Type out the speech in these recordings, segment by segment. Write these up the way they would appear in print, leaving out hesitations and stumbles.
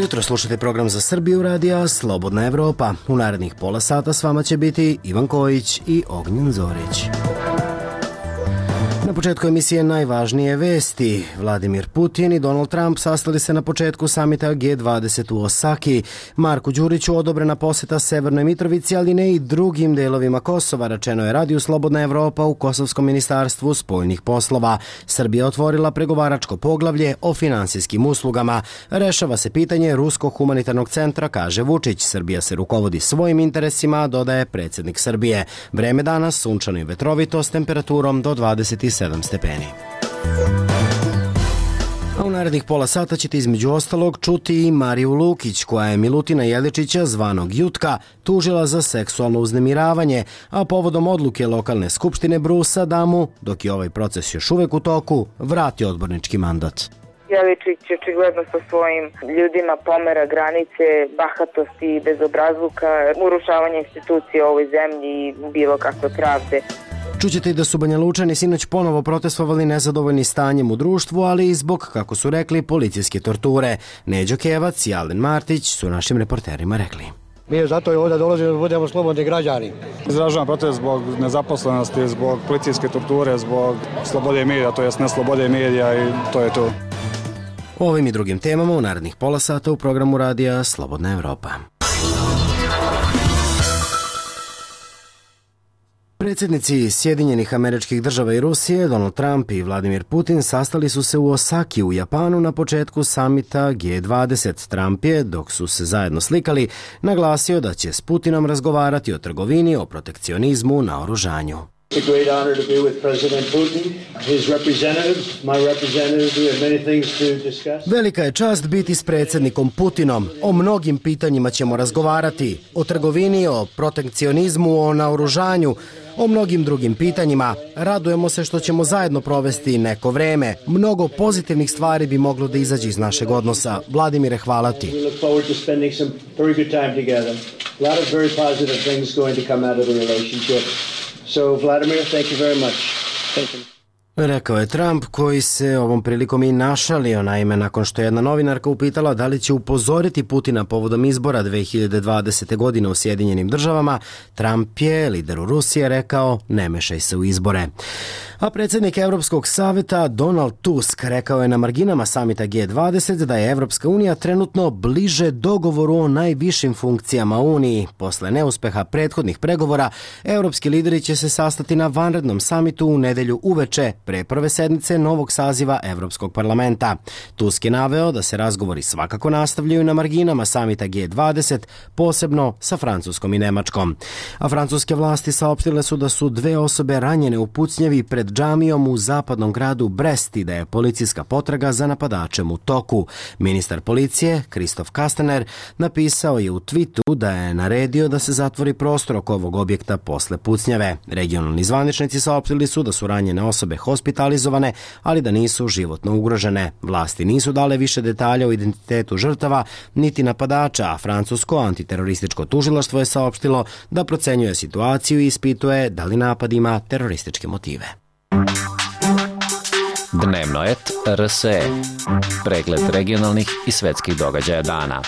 jutro, slušate program za Srbiju radija Slobodna Evropa. U narednih pola sata s vama će biti Ivan Kojić i Ognjen Zorić. Na početku emisije najvažnije vesti. Vladimir Putin i Donald Trump sastali se na početku samita G20 u Osaki. Marku Đuriću odobrena poseta Severnoj Mitrovici, ali ne i drugim delovima Kosova, rečeno je radiju Slobodna Evropa u Kosovskom ministarstvu spoljnih poslova. Srbija otvorila pregovaračko poglavlje o finansijskim uslugama. Rešava se pitanje Ruskog humanitarnog centra, kaže Vučić. Srbija se rukovodi svojim interesima, dodaje predsjednik Srbije. Vreme danas sunčano i vetrovito s temperaturom do 27 stepeni. A u narednih pola sata ćete između ostalog čuti i Mariju Lukić, koja je Milutina Jeličića, zvanog Jutka, tužila za seksualno uznemiravanje, a povodom odluke lokalne skupštine Brusa da mu, dok je ovaj proces još uvek u toku, vrati odbornički mandat. Jeličić očigledno sa svojim ljudima pomera granice bahatosti i bezobrazluka, urušavanje institucije u ovoj zemlji i bilo kakve pravde. Čućete i da su Banja Lučani sinoć ponovo protestovali nezadovoljni stanjem u društvu, ali i zbog, kako su rekli, policijske torture. Neđo Kevac i Alen Martić su našim reporterima rekli. Mi zato i ovdje dolazimo da budemo slobodni građani. Izražavam protest zbog nezaposlenosti, zbog policijske torture, zbog slobode medija, to jest neslobode medija i to je to. O ovim i drugim temama u narednih pola sata u programu radija Slobodna Evropa. Predsjednici Sjedinjenih Američkih Država i Rusije, Donald Trump i Vladimir Putin, sastali su se u Osaki u Japanu na početku samita G20. Trump je, dok su se zajedno slikali, naglasio da će s Putinom razgovarati o trgovini, o protekcionizmu, naoružanju. It's a great honor to be with President Putin, his representative, my representative. We have many things to discuss. Velika je čast biti s predsjednikom Putinom. O mnogim pitanjima ćemo razgovarati. O trgovini, o protekcionizmu, o naoružanju, o mnogim drugim pitanjima. Radujemo se što ćemo zajedno provesti neko vreme. Mnogo pozitivnih stvari bi moglo da izađe iz našeg odnosa. Vladimire, hvala ti. We look forward to spending some very good time together. A lot of very positive things going to come out of the relationship. So, Vladimir, thank you very much. Thank you. Rekao je Trump, koji se ovom prilikom i našalio, naime nakon što je jedna novinarka upitala da li će upozoriti Putina povodom izbora 2020. godine u Sjedinjenim Državama. Trump je, lideru Rusije, rekao ne mešaj se u izbore. A predsjednik Evropskog saveta Donald Tusk rekao je na marginama samita G20 da je Evropska unija trenutno bliže dogovoru o najvišim funkcijama Uniji. Posle neuspeha prethodnih pregovora, evropski lideri će se sastati na vanrednom samitu u nedelju uveče pre prve sednice novog saziva Evropskog parlamenta. Tusk je naveo da se razgovori svakako nastavljaju na marginama samita G20, posebno sa Francuskom i Nemačkom. A francuske vlasti saopštile su da su 2 osobe ranjene u pucnjavi pred džamijom u zapadnom gradu Brest i da je policijska potraga za napadačem u toku. Ministar policije, Kristof Kastaner, napisao je u tweetu da je naredio da se zatvori prostor oko ovog objekta posle pucnjave. Regionalni zvaničnici saopštili su da su ranjene osobe hospitalizovane, ali da nisu životno ugrožene. Vlasti nisu dale više detalja o identitetu žrtava, niti napadača, a francusko antiterorističko tužilaštvo je saopštilo da procenjuje situaciju i ispituje da li napad ima terorističke motive. Dnevno et RSE. Pregled regionalnih i svetskih događaja dana.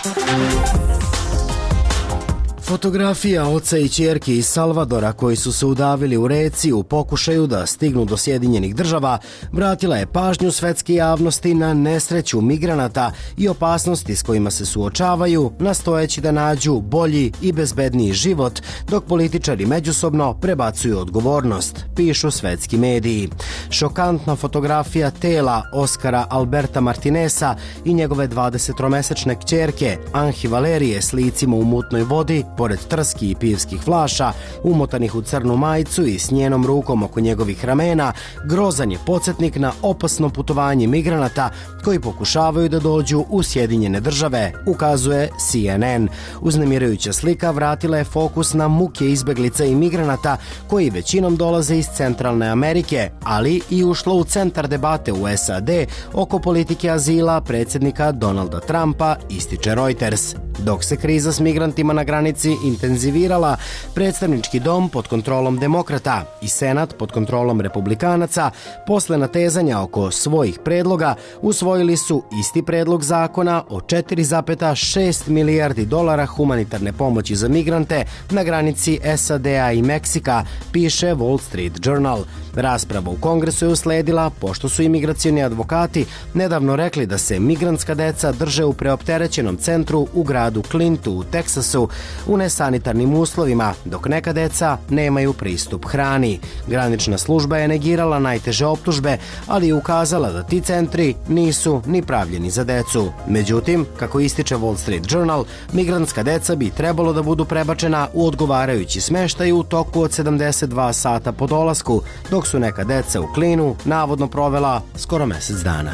Fotografija oca i ćerke iz Salvadora koji su se udavili u reci u pokušaju da stignu do Sjedinjenih Država vratila je pažnju svetske javnosti na nesreću migranata i opasnosti s kojima se suočavaju, nastojeći da nađu bolji i bezbedniji život, dok političari međusobno prebacuju odgovornost, pišu svetski mediji. Šokantna fotografija tela Oskara Alberta Martinesa i njegove 20-mesečne kćerke Anhi Valerije s licima u mutnoj vodi pored trski i pivskih flaša, umotanih u crnu majicu i s njenom rukom oko njegovih ramena, grozan je podsjetnik na opasno putovanje migranata koji pokušavaju da dođu u Sjedinjene Države, ukazuje CNN. Uznemirajuća slika vratila je fokus na muke izbeglica i migranata koji većinom dolaze iz Centralne Amerike, ali i ušlo u centar debate u SAD oko politike azila predsjednika Donalda Trumpa, ističe Reuters. Dok se kriza s migrantima na granici intenzivirala, predstavnički dom pod kontrolom demokrata i senat pod kontrolom republikanaca posle natezanja oko svojih predloga usvojili su isti predlog zakona o 4,6 milijardi dolara humanitarne pomoći za migrante na granici SAD-a i Meksika, piše Wall Street Journal. Rasprava u Kongresu je usledila pošto su imigracioni advokati nedavno rekli da se migrantska deca drže u preopterećenom centru u gradu Clintu u Teksasu u nesanitarnim uslovima, dok neka deca nemaju pristup hrani. Granična služba je negirala najteže optužbe, ali je ukazala da ti centri nisu ni pravljeni za decu. Međutim, kako ističe Wall Street Journal, migrantska deca bi trebalo da budu prebačena u odgovarajući smeštaj u toku od 72 sata po dolasku, dok su neka deca u Klinu navodno provela skoro mesec dana.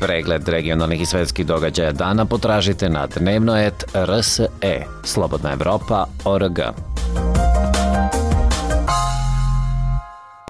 Pregled regionalnih i svetskih događaja dana potražite na dnevnoet.rse, Slobodna Evropa.org.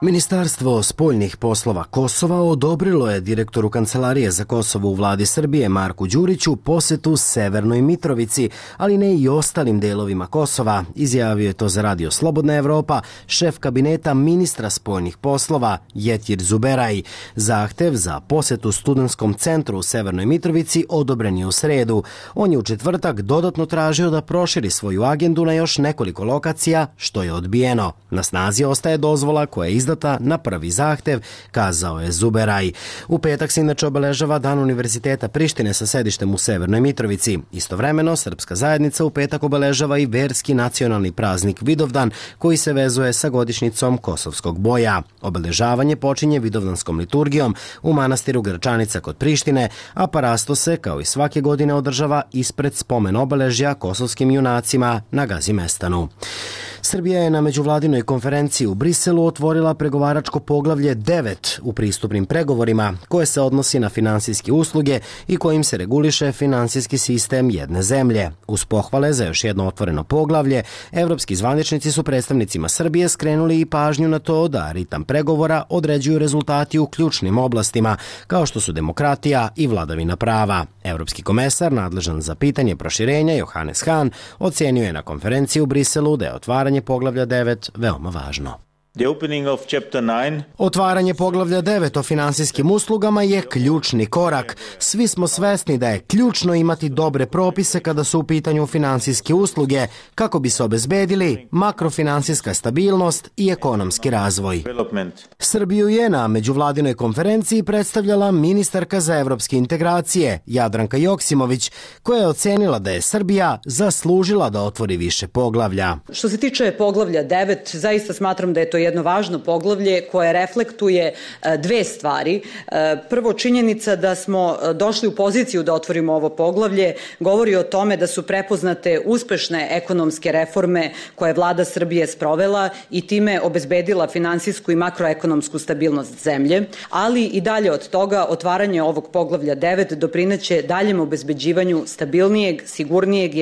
Ministarstvo spoljnih poslova Kosova odobrilo je direktoru Kancelarije za Kosovo u vladi Srbije Marku Đuriću posetu Severnoj Mitrovici, ali ne i ostalim delovima Kosova, izjavio je to za Radio Slobodna Evropa šef kabineta ministra spoljnih poslova Jetir Zuberaj. Zahtev za posetu studentskom centru u Severnoj Mitrovici odobren je u sredu. On je u četvrtak dodatno tražio da proširi svoju agendu na još nekoliko lokacija, što je odbijeno. Na snazi ostaje dozvola koja je izdata na prvi zahtev, kazao je Zuberaj. U petak se inače obeležava Dan Univerziteta Prištine sa sedištem u Severnoj Mitrovici. Istovremeno, srpska zajednica u petak obeležava i verski nacionalni praznik Vidovdan, koji se vezuje sa godišnjicom Kosovskog boja. Obeležavanje počinje Vidovdanskom liturgijom u manastiru Gračanica kod Prištine, a parasto se, kao i svake godine, održava ispred spomen obeležja kosovskim junacima na Gazimestanu. Srbija je na međuvladinoj konferenciji u Briselu otvorila pregovaračko poglavlje 9 u pristupnim pregovorima, koje se odnosi na finansijske usluge i kojim se reguliše finansijski sistem jedne zemlje. Uz pohvale za još jedno otvoreno poglavlje, evropski zvaničnici su predstavnicima Srbije skrenuli i pažnju na to da ritam pregovora određuju rezultati u ključnim oblastima, kao što su demokratija i vladavina prava. Evropski komesar, nadležan za pitanje proširenja, Johannes Hahn, ocenio je na konferenciji u Briselu da je otvaranje poglavlja 9 veoma važno. Otvaranje poglavlja 9 o finansijskim uslugama je ključni korak. Svi smo svesni da je ključno imati dobre propise kada su u pitanju finansijske usluge, kako bi se obezbedili makrofinansijska stabilnost i ekonomski razvoj. Srbiju je na međuvladinoj konferenciji predstavljala ministarka za evropske integracije Jadranka Joksimović, koja je ocenila da je Srbija zaslužila da otvori više poglavlja. Što se tiče poglavlja 9, zaista smatram da je to jedno važno poglavlje koje reflektuje dve stvari. Prvo, činjenica da smo došli u poziciju da otvorimo ovo poglavlje govori o tome da su prepoznate uspešne ekonomske reforme koje je vlada Srbije sprovela i time obezbedila finansijsku i makroekonomsku stabilnost zemlje, ali i dalje od toga otvaranje ovog poglavlja 9 doprineće daljem obezbeđivanju stabilnijeg, sigurnijeg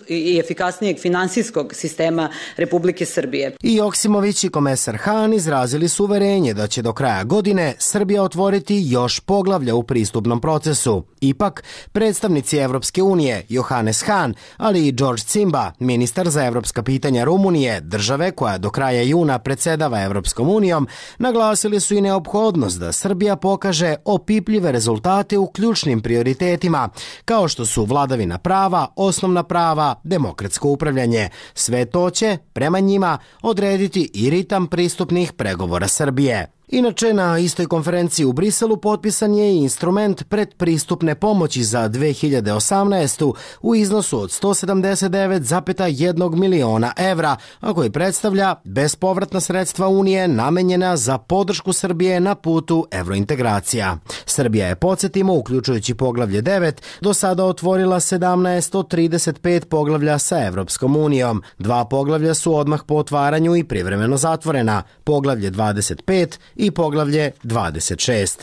i efikasnijeg finansijskog sistema Republike Srbije. I Joksimović i komesar Hahn izrazili su uverenje da će do kraja godine Srbija otvoriti još poglavlja u pristupnom procesu. Ipak, predstavnici Evropske unije Johannes Hahn, ali i George Cimba, ministar za evropska pitanja Rumunije, države koja do kraja juna predsedava Evropskom unijom, naglasili su i neophodnost da Srbija pokaže opipljive rezultate u ključnim prioritetima, kao što su vladavina prava, osnovna prava, demokratsko upravljanje. Sve to će, prema njima, odrediti i ritam pristupnih pregovora Srbije. Inače, na istoj konferenciji u Briselu potpisan je i instrument predpristupne pomoći za 2018. u iznosu od 179,1 miliona evra, a koji predstavlja bespovratna sredstva Unije namenjena za podršku Srbije na putu evrointegracija. Srbija je, podsjetimo, uključujući poglavlje 9, do sada otvorila 17 od 35 poglavlja sa Evropskom unijom. 2 poglavlja su odmah po otvaranju i privremeno zatvorena, poglavlje 25 i poglavlje 26.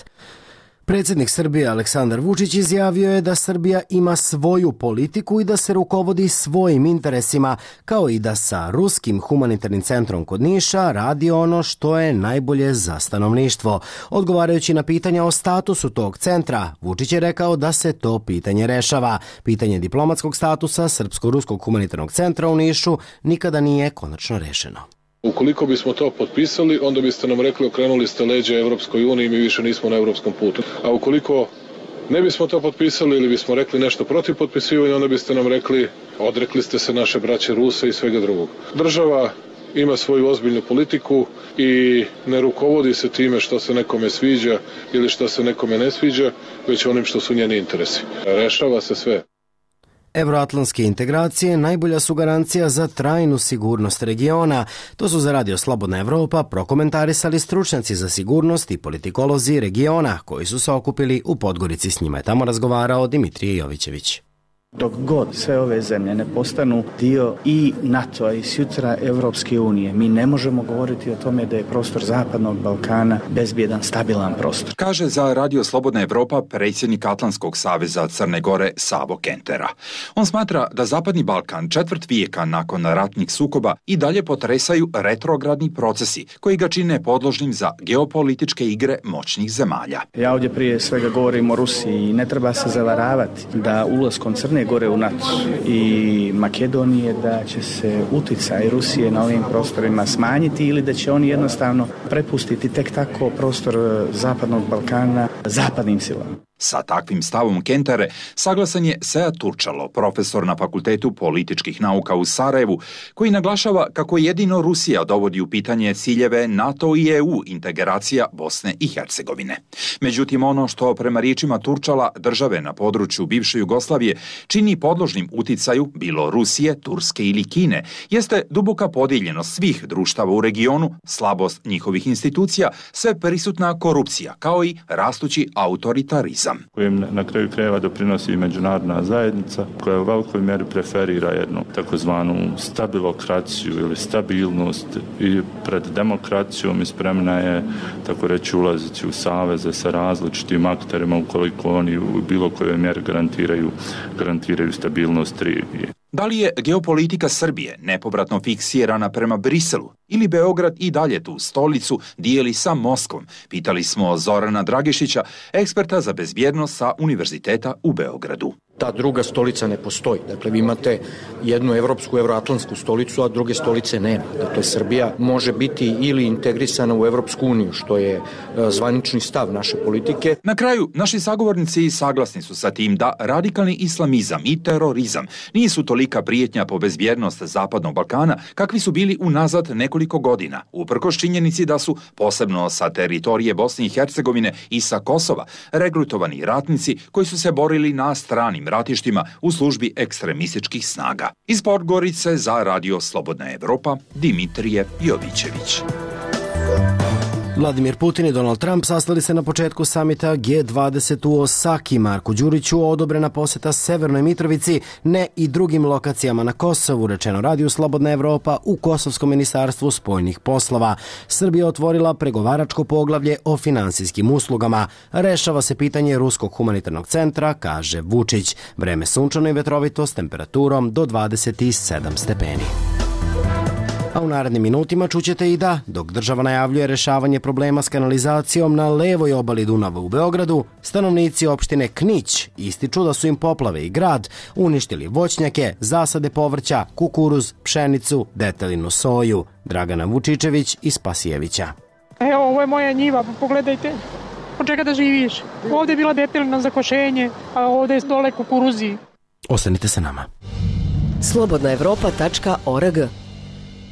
Predsjednik Srbije Aleksandar Vučić izjavio je da Srbija ima svoju politiku i da se rukovodi svojim interesima, kao i da sa Ruskim humanitarnim centrom kod Niša radi ono što je najbolje za stanovništvo. Odgovarajući na pitanja o statusu tog centra, Vučić je rekao da se to pitanje rešava. Pitanje diplomatskog statusa Srpsko-ruskog humanitarnog centra u Nišu nikada nije konačno rešeno. Ukoliko bismo to potpisali, onda biste nam rekli okrenuli ste leđa Evropskoj uniji i mi više nismo na evropskom putu. A ukoliko ne bismo to potpisali ili bismo rekli nešto protiv potpisivanja, onda biste nam rekli odrekli ste se naše braće Ruse i svega drugog. Država ima svoju ozbiljnu politiku i ne rukovodi se time što se nekome sviđa ili što se nekome ne sviđa, već onim što su njeni interesi. Rešava se sve. Evroatlantske integracije najbolja su garancija za trajnu sigurnost regiona. To su za Radio Slobodna Evropa prokomentarisali stručnjaci za sigurnost i politikolozi regiona koji su se okupili u Podgorici. S njima je tamo razgovarao Dimitrije Jovićević. Dok god sve ove zemlje ne postanu dio i NATO-a i sutra Evropske unije, mi ne možemo govoriti o tome da je prostor Zapadnog Balkana bezbjedan, stabilan prostor. Kaže za Radio Slobodna Evropa predsjednik Atlantskog saveza Crne Gore Savo Kentera. On smatra da Zapadni Balkan četvrt vijeka nakon ratnih sukoba i dalje potresaju retrogradni procesi koji ga čine podložnim za geopolitičke igre moćnih zemalja. Ja ovdje prije svega govorim o Rusiji i ne treba se zavaravati da ulaskom Crne Gore u NATO i Makedonije da će se uticaj Rusije na ovim prostorima smanjiti ili da će oni jednostavno prepustiti tek tako prostor Zapadnog Balkana zapadnim silama. Sa takvim stavom Kentere saglasan je Sead Turčalo, profesor na Fakultetu političkih nauka u Sarajevu, koji naglašava kako jedino Rusija dovodi u pitanje ciljeve NATO i EU integracija Bosne i Hercegovine. Međutim, ono što prema riječima Turčala države na području bivše Jugoslavije čini podložnim uticaju bilo Rusije, Turske ili Kine, jeste duboka podijeljenost svih društava u regionu, slabost njihovih institucija, sve prisutna korupcija, kao i rastući autoritarizam. Kojem na kraju krajeva doprinosi i međunarodna zajednica koja u velikoj mjeri preferira jednu takozvanu stabilokraciju ili stabilnost i pred demokracijom i spremna je, tako reći, ulaziti u saveze sa različitim akterima ukoliko oni u bilo kojoj mjeri garantiraju stabilnost regije. Da li je geopolitika Srbije nepovratno fiksirana prema Briselu ili Beograd i dalje tu stolicu dijeli sa Moskvom? Pitali smo Zorana Dragišića, eksperta za bezbjednost sa Univerziteta u Beogradu. Ta druga stolica ne postoji. Dakle, vi imate jednu evropsku, evroatlantsku stolicu, a druge stolice nema. Dakle, Srbija može biti ili integrisana u Evropsku uniju, što je zvanični stav naše politike. Na kraju, naši sagovornici saglasni su sa tim da radikalni islamizam i terorizam nisu tolika prijetnja po bezbjednost Zapadnog Balkana kakvi su bili unazad nekoliko godina, uprkos činjenici da su, posebno sa teritorije Bosne i Hercegovine i sa Kosova, regrutovani ratnici koji su se borili na stranim ratištima u službi ekstremističkih snaga. Iz Podgorice za Radio Slobodna Evropa, Dimitrije Jovićević. Vladimir Putin i Donald Trump sastali se na početku samita G20 u Osaki. Marku Đuriću odobrena posjeta Severnoj Mitrovici, ne i drugim lokacijama na Kosovu, rečeno Radio Slobodna Evropa u Kosovskom ministarstvu spoljnih poslova. Srbija otvorila pregovaračko poglavlje o finansijskim uslugama. Rešava se pitanje Ruskog humanitarnog centra, kaže Vučić. Vreme sunčano i vetrovito s temperaturom do 27 stepeni. A u narednim minutima čućete i da, dok država najavljuje rešavanje problema s kanalizacijom na levoj obali Dunava u Beogradu, stanovnici opštine Knić ističu da su im poplave i grad uništili voćnjake, zasade povrća, kukuruz, pšenicu, detelinu soju. Dragana Vučičević iz Spasijevića. Evo, ovo je moja njiva, pogledajte. Od čega da živiš? Ovdje je bila detelina za košenje, a ovdje je dole kukuruzi. Ostanite sa nama. slobodnaevropa.org.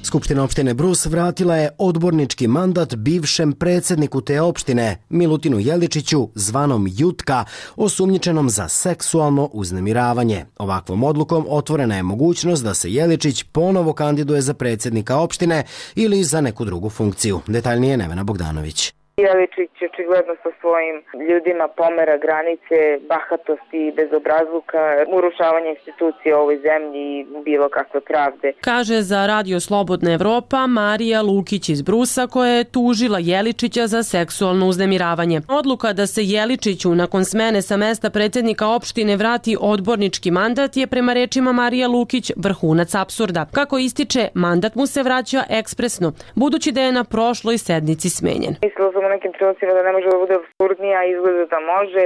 Skupština opštine Brus vratila je odbornički mandat bivšem predsjedniku te opštine, Milutinu Jeličiću, zvanom Jutka, osumnjičenom za seksualno uznemiravanje. Ovakvom odlukom otvorena je mogućnost da se Jeličić ponovo kandiduje za predsjednika opštine ili za neku drugu funkciju. Detaljnije Nevena Bogdanović. Jeličić očigledno sa svojim ljudima pomera granice bahatosti i bezobrazluka, urušavanje institucije u ovoj zemlji i bilo kakve pravde. Kaže za Radio Slobodna Evropa Marija Lukić iz Brusa, koja je tužila Jeličića za seksualno uznemiravanje. Odluka da se Jeličiću nakon smene sa mesta predsjednika opštine vrati odbornički mandat je prema rečima Marija Lukić vrhunac apsurda. Kako ističe, mandat mu se vraća ekspresno, budući da je na prošloj sednici smenjen. Mislila sam u nekim trenucima da ne može da bude apsurdnija, izgleda da može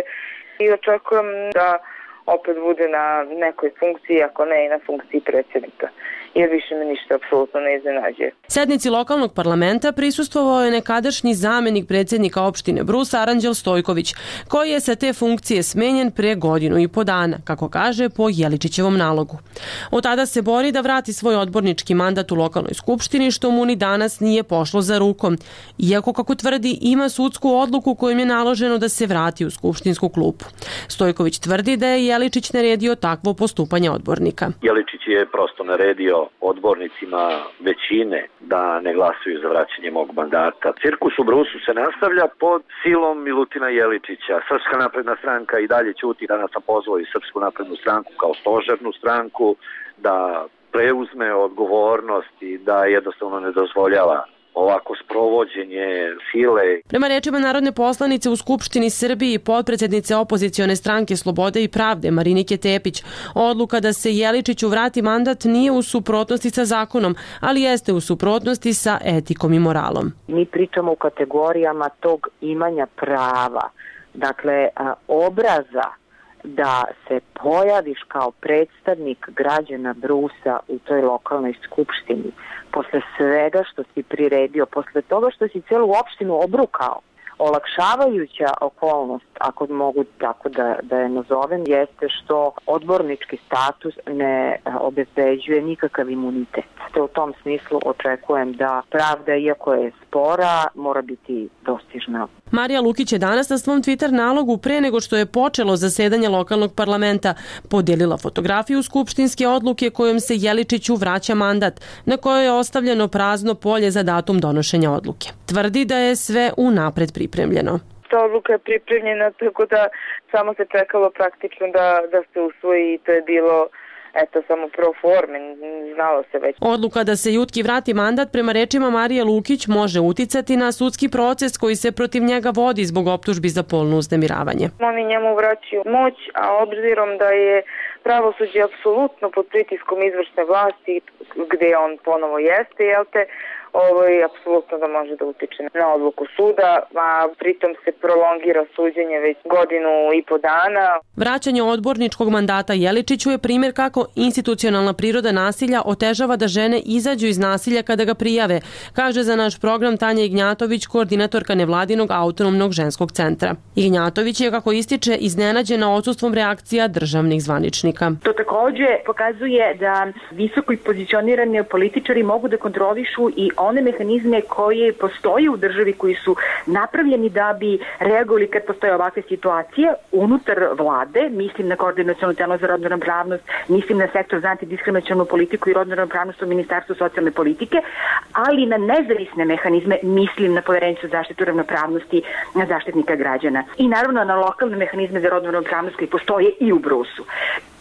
i očekujem da opet bude na nekoj funkciji, ako ne i na funkciji predsjednika. Jer više me ništa apsolutno ne iznenađuje. Sednici lokalnog parlamenta prisustvovao je nekadašnji zamenik predsjednika opštine Brus Aranđel Stojković, koji je sa te funkcije smenjen pre 1,5 godine, kako kaže, po Jeličićevom nalogu. Od tada se bori da vrati svoj odbornički mandat u lokalnoj skupštini, što mu ni danas nije pošlo za rukom. Iako, kako tvrdi, ima sudsku odluku kojom je naloženo da se vrati u skupštinsku klupu. Stojković tvrdi da je Jeličić naredio takvo postupanje odbornika. Jeličić je prosto naredio odbornicima većine da ne glasuju za vraćanje mog mandata. Cirkus u Brusu se nastavlja pod silom Milutina Jeličića. Srpska napredna stranka i dalje ćuti. Danas sam pozvao i Srpsku naprednu stranku kao stožernu stranku da preuzme odgovornost i da jednostavno ne dozvoljava ovako sprovođenje sile. Prema rečima narodne poslanice u Skupštini Srbiji i potpredsjednice opozicione stranke Slobode i pravde Marinike Tepić, odluka da se Jeličiću vrati mandat nije u suprotnosti sa zakonom, ali jeste u suprotnosti sa etikom i moralom. Mi pričamo u kategorijama tog imanja prava, dakle obraza da se pojaviš kao predstavnik građana Brusa u toj lokalnoj skupštini, posle svega što si priredio, posle toga što si celu opštinu obrukao. Olakšavajuća okolnost, ako mogu tako da je nazovem, jeste što odbornički status ne obezbeđuje nikakav imunitet. U tom smislu očekujem da pravda, iako je spora, mora biti dostižna. Marija Lukić je danas na svom Twitter nalogu pre nego što je počelo zasedanje lokalnog parlamenta podijelila fotografiju skupštinske odluke kojom se Jeličiću vraća mandat, na kojoj je ostavljeno prazno polje za datum donošenja odluke. Tvrdi da je sve unapred pripremljeno. Ta odluka je pripremljena, tako da samo se čekalo praktično da se usvoji i to je bilo samo pro forme, znalo se već. Odluka da se Jutki vrati mandat prema rečima Marije Lukić može uticati na sudski proces koji se protiv njega vodi zbog optužbi za polno uznemiravanje. Oni njemu vraćaju moć, a obzirom da je pravosuđe apsolutno pod pritiskom izvršne vlasti, gde on ponovo jeste, apsolutno da može da utiče na odluku suda, a pritom se prolongira suđenje već 1,5 dana. Vraćanje odborničkog mandata Jeličiću je primjer kako institucionalna priroda nasilja otežava da žene izađu iz nasilja kada ga prijave, kaže za naš program Tanja Ignjatović, koordinatorka nevladinog autonomnog ženskog centra. Ignjatović je, kako ističe, iznenađena odsustvom reakcija državnih zvaničnika. To takođe pokazuje da visoko pozicionirani političari mogu da kontrolišu i one mehanizme koje postoje u državi, koji su napravljeni da bi reagovali kad postoje ovakve situacije unutar vlade, mislim na koordinaciono telo za rodnu ravnopravnost, mislim na sektor za antidiskriminacionu politiku i rodnu ravnopravnost u Ministarstvu socijalne politike, ali na nezavisne mehanizme, mislim na Poverenicu za zaštitu ravnopravnosti, na Zaštitnika građana i naravno na lokalne mehanizme za rodnu ravnopravnost koji postoje i u Brusu.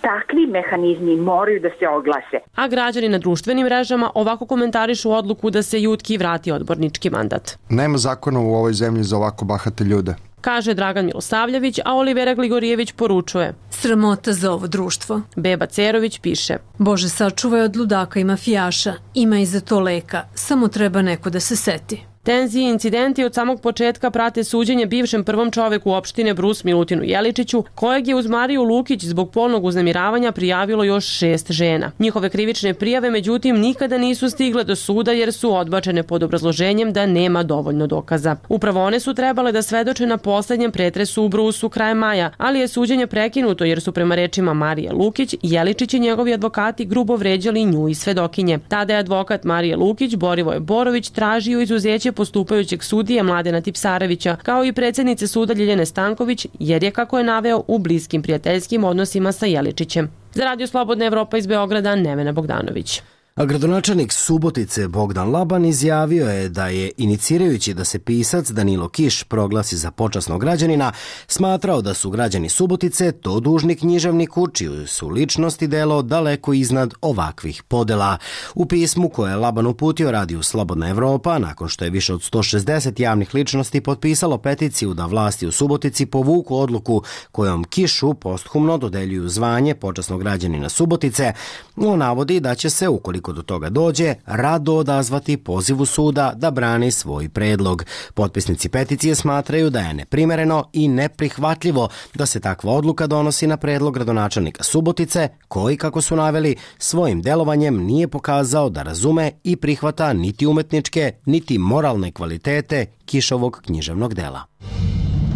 Takvi mehanizmi moraju da se oglase. A građani na društvenim mrežama ovako komentarišu odluku da se Jutki vrati odbornički mandat. Nema zakona u ovoj zemlji za ovako bahate ljude, kaže Dragan Milosavljević, a Olivera Gligorijević poručuje: sramota za ovo društvo. Beba Cerović piše: Bože, sačuvaj od ludaka i mafijaša, ima i za to leka, samo treba neko da se seti. Tenzije i incidenti od samog početka prate suđenje bivšem prvom čoveku opštine Brus Milutinu Jeličiću, kojeg je uz Mariju Lukić zbog polnog uznemiravanja prijavilo još 6 žena. Njihove krivične prijave, međutim, nikada nisu stigle do suda jer su odbačene pod obrazloženjem da nema dovoljno dokaza. Upravo one su trebale da svedoče na poslednjem pretresu u Brusu krajem maja, ali je suđenje prekinuto jer su prema rečima Marije Lukić, Jeličić i njegovi advokati grubo vređali nju i svedokinje. Tada je advokat Marije Lukić, Borivoje Borović, tražio izuzeće postupajućeg sudije Mladena Tipsarevića, kao i predsjednice suda Ljiljane Stanković, jer je, kako je naveo, u bliskim prijateljskim odnosima sa Jeličićem. Za Radio Slobodna Evropa iz Beograda, Nevena Bogdanović. A gradonačelnik Subotice Bogdan Laban izjavio je da je, inicirajući da se pisac Danilo Kiš proglasi za počasnog građanina, smatrao da su građani Subotice to dužni književniku, čiju su ličnost i delo daleko iznad ovakvih podela. U pismu koje je Laban uputio radiju Slobodna Evropa, nakon što je više od 160 javnih ličnosti potpisalo peticiju da vlasti u Subotici povuku odluku kojom Kišu posthumno dodeljuju zvanje počasnog građanina Subotice, on navodi da će se, ukoliko do toga dođe, rado odazvati pozivu suda da brani svoj predlog. Potpisnici peticije smatraju da je neprimereno i neprihvatljivo da se takva odluka donosi na predlog gradonačelnika Subotice, koji, kako su naveli, svojim delovanjem nije pokazao da razume i prihvata niti umetničke, niti moralne kvalitete Kišovog književnog dela.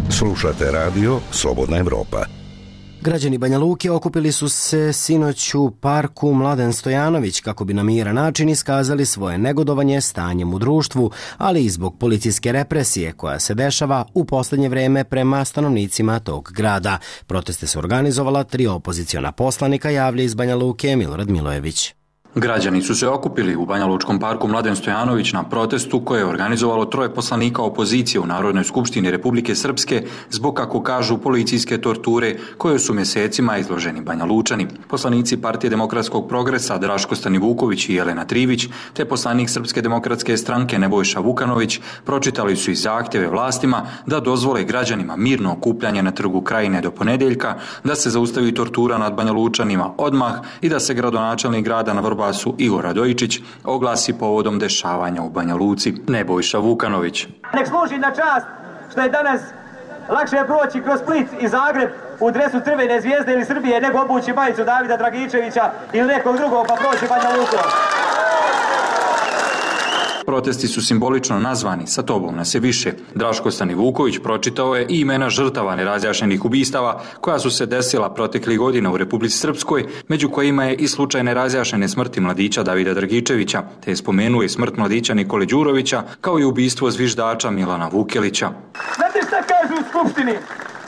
Slušate radio Slobodna Evropa. Građani Banja Luke okupili su se sinoć u parku Mladen Stojanović kako bi na miran način iskazali svoje negodovanje stanjem u društvu, ali i zbog policijske represije koja se dešava u poslednje vreme prema stanovnicima tog grada. Proteste su organizovala 3 opoziciona poslanika, javlja iz Banja Luke Milorad Milojević. Građani su se okupili u Banjalučkom parku Mladen Stojanović na protestu koje je organizovalo 3 poslanika opozicije u Narodnoj skupštini Republike Srpske zbog, kako kažu, policijske torture koje su mjesecima izloženi Banjalučani. Poslanici Partije demokratskog progresa Draško Stanivuković i Jelena Trivić te poslanik Srpske demokratske stranke Nebojša Vukanović pročitali su i zahtjeve vlastima da dozvole građanima mirno okupljanje na Trgu Krajine do ponedeljka, da se zaustavi tortura nad Banjalučanima odmah i da se gradonačelnik grada na Vrbasu Igor Radojičić oglasi povodom dešavanja u Banja Luci. Nebojša Vukanović. Nek služi na čast što je danas lakše proći kroz Split i Zagreb u dresu Crvene zvijezde ili Srbije nego obući majicu Davida Dragičevića ili nekog drugog pa proći Banja Lukom. Protesti su simbolično nazvani Sa tobom nas je više. Draško Stanivuković pročitao je i imena žrtava nerazjašnjenih ubistava koja su se desila proteklih godina u Republici Srpskoj, među kojima je i slučaj nerazjašnjene smrti mladića Davida Dragičevića, te je spomenuo i smrt mladića Nikole Đurovića, kao i ubistvo zviždača Milana Vukelića. Znate šta kažu u Skupštini?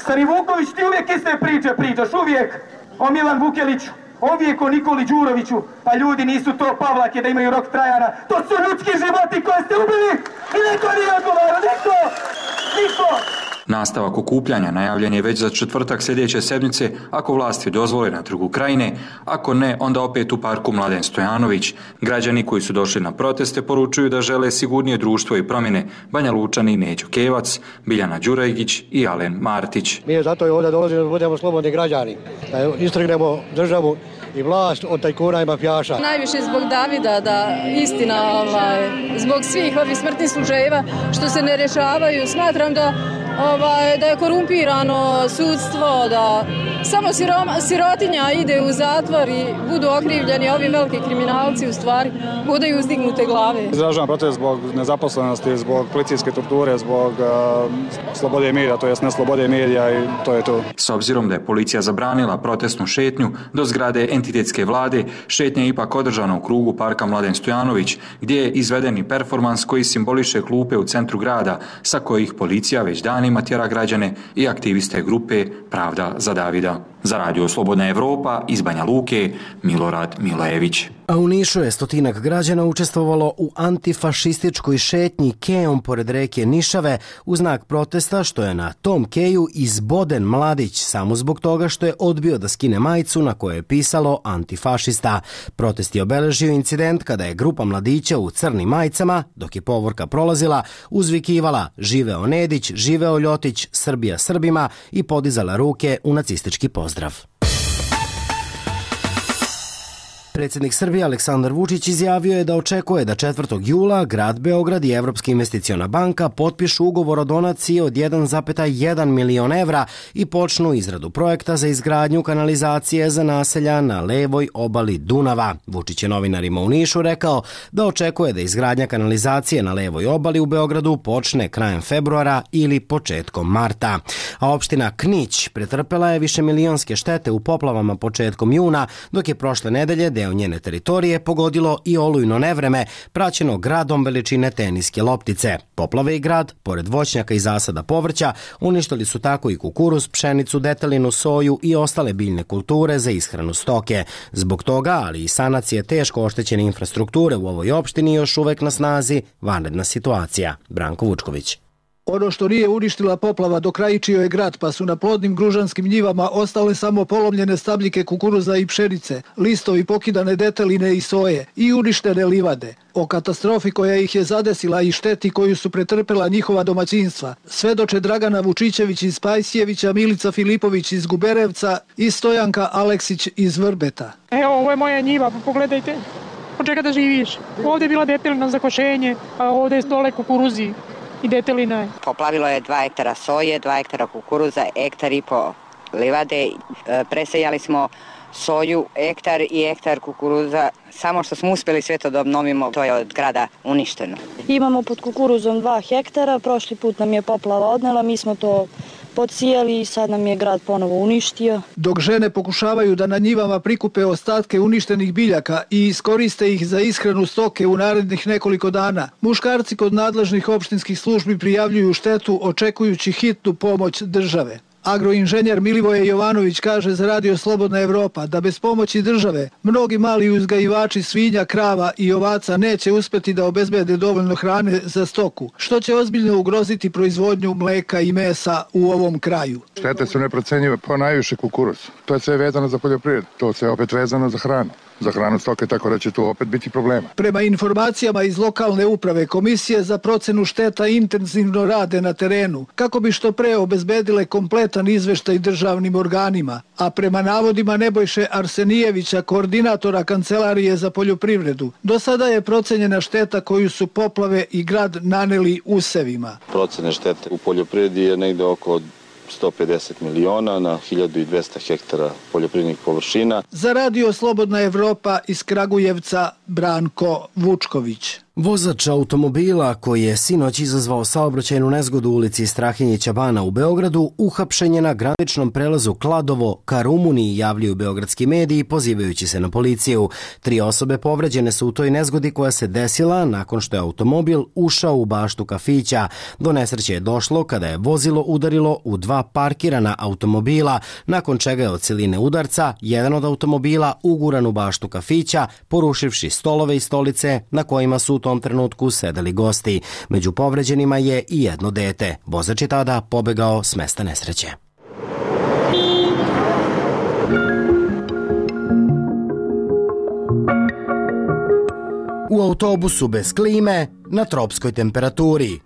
Stanivuković, ti uvijek iste priče pričaš, uvijek o Milan Vukeliću. Uvijek o Nikoli Đuroviću, pa ljudi nisu to Pavlake da imaju rok trajana, to su ljudski životi koje ste ubili i niko nije odgovarao, niko! Nastavak okupljanja najavljen je već za četvrtak sljedeće sedmice ako vlasti dozvole na Trgu Krajine, ako ne, onda opet u parku Mladen Stojanović. Građani koji su došli na proteste poručuju da žele sigurnije društvo i promjene. Banja Lučani Neđo Kevac, Biljana Đurajgić i Alen Martić. Mi zato ovdje dolazimo da budemo slobodni građani, da istrgnemo državu i vlast od tajkuna i mafijaša. Najviše zbog Davida, da istina, zbog svih ovih smrtnih slučajeva što se ne rješavaju, smatram da je korumpirano sudstvo, da samo sirotinja ide u zatvor i budu okrivljeni, ovi veliki kriminalci u stvari budaju uzdignute glave. Izražavam protest zbog nezaposlenosti, zbog policijske torture, zbog slobode medija, to jest neslobode medija i to je to. S obzirom da je policija zabranila protestnu šetnju do zgrade entitetske vlade, šetnja je ipak održana u krugu parka Mladen Stojanović, gdje je izveden i performans koji simboliše klupe u centru grada, sa kojih policija već danima tjera građane i aktiviste grupe Pravda za Davida. Za radio Slobodna Evropa iz Banja Luke, Milorad Milojević. A u Nišu je 100-ak građana učestvovalo u antifašističkoj šetnji kejom pored reke Nišave u znak protesta što je na tom keju izboden mladić samo zbog toga što je odbio da skine majicu na kojoj je pisalo antifašista. Protest je obeležio incident kada je grupa mladića u crnim majicama, dok je povorka prolazila, uzvikivala živeo Nedić, živeo Ljotić, Srbija Srbima i podizala ruke u nacistički pozdrav. Predsjednik Srbije Aleksandar Vučić izjavio je da očekuje da 4. jula grad Beograd i Evropska investiciona banka potpišu ugovor o donaciji od 1,1 milion evra i počnu izradu projekta za izgradnju kanalizacije za naselja na levoj obali Dunava. Vučić je novinarima u Nišu rekao da očekuje da izgradnja kanalizacije na levoj obali u Beogradu počne krajem februara ili početkom marta. A opština Knić pretrpela je višemilionske štete u poplavama početkom juna, dok je prošle nedelje deo njene teritorije pogodilo i olujno nevreme, praćeno gradom veličine teniske loptice. Poplave i grad, pored voćnjaka i zasada povrća, uništili su tako i kukuruz, pšenicu, detelinu, soju i ostale biljne kulture za ishranu stoke. Zbog toga, ali i sanacije teško oštećene infrastrukture u ovoj opštini još uvek na snazi vanredna situacija. Branko Vučković. Ono što nije uništila poplava dokrajičio je grad, pa su na plodnim gružanskim njivama ostale samo polomljene stabljike kukuruza i pšenice, listovi pokidane deteline i soje i uništene livade. O katastrofi koja ih je zadesila i šteti koju su pretrpela njihova domaćinstva svedoče Dragana Vučićević iz Pajsijevića, Milica Filipović iz Guberevca i Stojanka Aleksić iz Vrbeta. Evo, ovo je moja njiva, pogledajte. Od čega da živiš? Ovdje je bila detelina za košenje, a ovdje je dole kukuruzi i detelina je. Poplavilo je 2 hektara soje, 2 hektara kukuruza, 1,5 hektara livade. Presejali smo soju, hektar i hektar kukuruza. Samo što smo uspjeli sve to da obnovimo, to je od grada uništeno. Imamo pod kukuruzom 2 hektara, prošli put nam je poplava odnela, mi smo to podsijali i sad nam je grad ponovo uništio. Dok žene pokušavaju da na njivama prikupe ostatke uništenih biljaka i iskoriste ih za ishranu stoke u narednih nekoliko dana, muškarci kod nadležnih opštinskih službi prijavljuju štetu očekujući hitnu pomoć države. Agroinženjer Milivoje Jovanović kaže za Radio Slobodna Evropa da bez pomoći države mnogi mali uzgajivači svinja, krava i ovaca neće uspjeti da obezbede dovoljno hrane za stoku, što će ozbiljno ugroziti proizvodnju mleka i mesa u ovom kraju. Štete su neprocenjive, po najviše kukuruz. To je sve vezano za poljoprivredu, to je opet vezano za hranu. Za hranu stoke, tako da će tu opet biti problema. Prema informacijama iz lokalne uprave, komisije za procenu šteta intenzivno rade na terenu kako bi što pre obezbedile kompletan izveštaj državnim organima, a prema navodima Nebojše Arsenijevića, koordinatora Kancelarije za poljoprivredu, do sada je procenjena šteta koju su poplave i grad naneli usevima. Procene štete u poljoprivredi je negde oko 150 miliona na 1200 hektara poljoprivrednih površina. Za Radio Slobodna Evropa iz Kragujevca, Branko Vučković. Vozač automobila koji je sinoć izazvao saobraćajnu nezgodu u ulici Strahinjića Bana u Beogradu uhapšen je na graničnom prelazu Kladovo ka Rumuniji, javljaju beogradski mediji pozivajući se na policiju. 3 osobe povređene su u toj nezgodi koja se desila nakon što je automobil ušao u baštu kafića. Do nesreće je došlo kada je vozilo udarilo u 2 parkirana automobila, nakon čega je od siline udarca jedan od automobila uguran u baštu kafića, porušivši stolove i stolice na kojima su u tom trenutku sedeli gosti. Među povređenima je i jedno dete. Vozač je tada pobegao s mesta nesreće. U autobusu bez klime, na tropskoj temperaturi.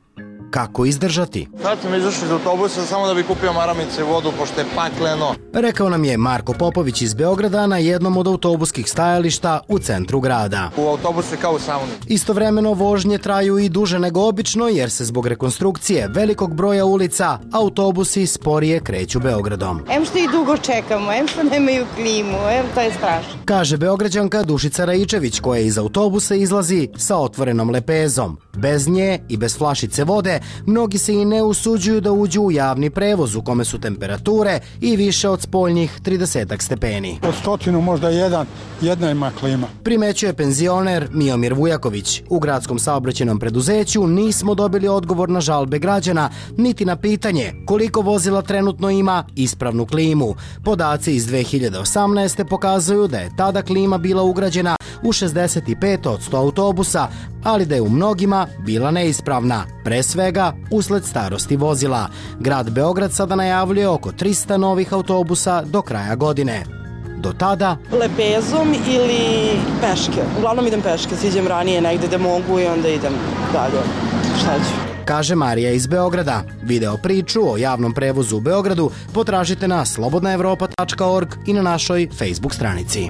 Kako izdržati? Sad sam izašao iz autobusa samo da bi kupio maramice i vodu, pošto je pakleno. Rekao nam je Marko Popović iz Beograda na jednom od autobuskih stajališta u centru grada. U autobusu je kao u sauni. Istovremeno vožnje traju i duže nego obično jer se zbog rekonstrukcije velikog broja ulica autobusi sporije kreću Beogradom. Em što i dugo čekamo, em što nemaju klimu, to je strašno. Kaže Beograđanka Dušica Raičević koja iz autobusa izlazi sa otvorenom lepezom. Bez nje i bez flašice vode mnogi se i ne usuđuju da uđu u javni prevoz u kome su temperature i više od spoljnih 30 stepeni. Od 100 možda jedna ima klima. Primećuje penzioner Miomir Vujaković. U gradskom saobraćajnom preduzeću nismo dobili odgovor na žalbe građana, niti na pitanje koliko vozila trenutno ima ispravnu klimu. Podaci iz 2018. pokazuju da je tada klima bila ugrađena u 65 od 100 autobusa, ali da je u mnogima bila neispravna, pre svega usled starosti vozila. Grad Beograd sada najavljuje oko 300 novih autobusa do kraja godine. Do tada... Lepezom ili peške. Uglavnom idem peške, siđem ranije negde da mogu i onda idem dalje. Šta ću? Kaže Marija iz Beograda. Video priču o javnom prevozu u Beogradu potražite na slobodnaevropa.org i na našoj Facebook stranici.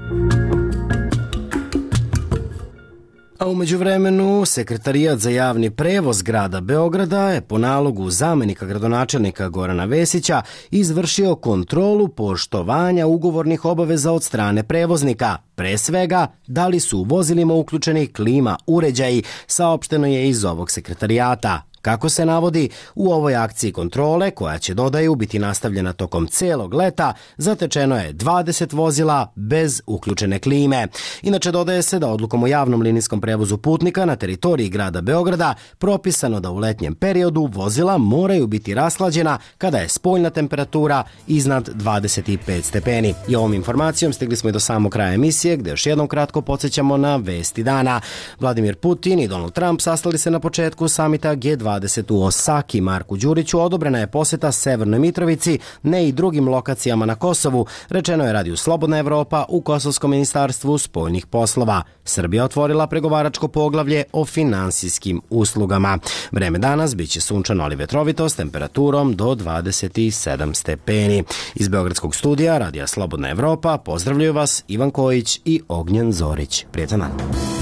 A u međuvremenu, Sekretarijat za javni prevoz grada Beograda je po nalogu zamenika gradonačelnika Gorana Vesića izvršio kontrolu poštovanja ugovornih obaveza od strane prevoznika. Pre svega, da li su u vozilima uključeni klima uređaji, saopšteno je iz ovog sekretarijata. Kako se navodi, u ovoj akciji kontrole, koja će, dodaju, biti nastavljena tokom celog leta, zatečeno je 20 vozila bez uključene klime. Inače, dodaje se da odlukom o javnom linijskom prevozu putnika na teritoriji grada Beograda propisano da u letnjem periodu vozila moraju biti rashlađena kada je spoljna temperatura iznad 25 stepeni. I ovom informacijom stigli smo i do samog kraja emisije, gde još jednom kratko podsjećamo na vesti dana. Vladimir Putin i Donald Trump sastali se na početku samita G20 u Osaki. Marku Đuriću odobrena je poseta Severnoj Mitrovici, ne i drugim lokacijama na Kosovu, rečeno je Radiju Slobodna Evropa u Kosovskom ministarstvu spoljnih poslova. Srbija otvorila pregovaračko poglavlje o finansijskim uslugama. Vreme danas biće sunčano ali vetrovito s temperaturom do 27 stepeni. Iz Beogradskog studija Radija Slobodna Evropa pozdravljaju vas Ivan Kojić i Ognjen Zorić. Prijetan dan.